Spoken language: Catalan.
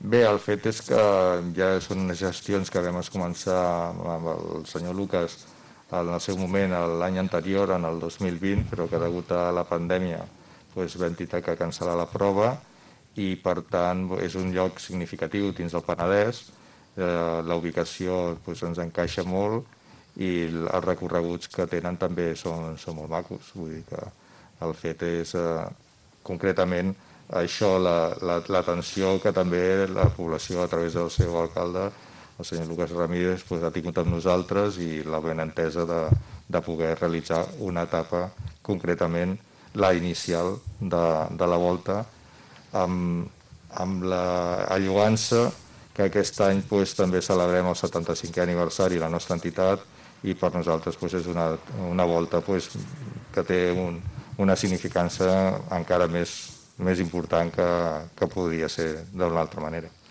Bé, el fet és que ja són unes gestions que vam començar amb el senyor Lucas en el seu moment l'any anterior, en el 2020, però que degut a la pandèmia vam haver que cancel·lar la prova i per tant és un lloc significatiu dins del Penedès. La ubicació ens encaixa molt i els recorreguts que tenen també són molt macos. Vull dir que el fet és concretament això, l'atenció que també la població a través del seu alcalde, el senyor Lucas Ramírez, ha tingut amb nosaltres i la ben entesa de poder realitzar una etapa, concretament la inicial de la volta, amb la lloança que aquest any també celebrem el 75è aniversari de la nostra entitat i per nosaltres és una volta que té una significància encara més important que podria ser d'una altra manera.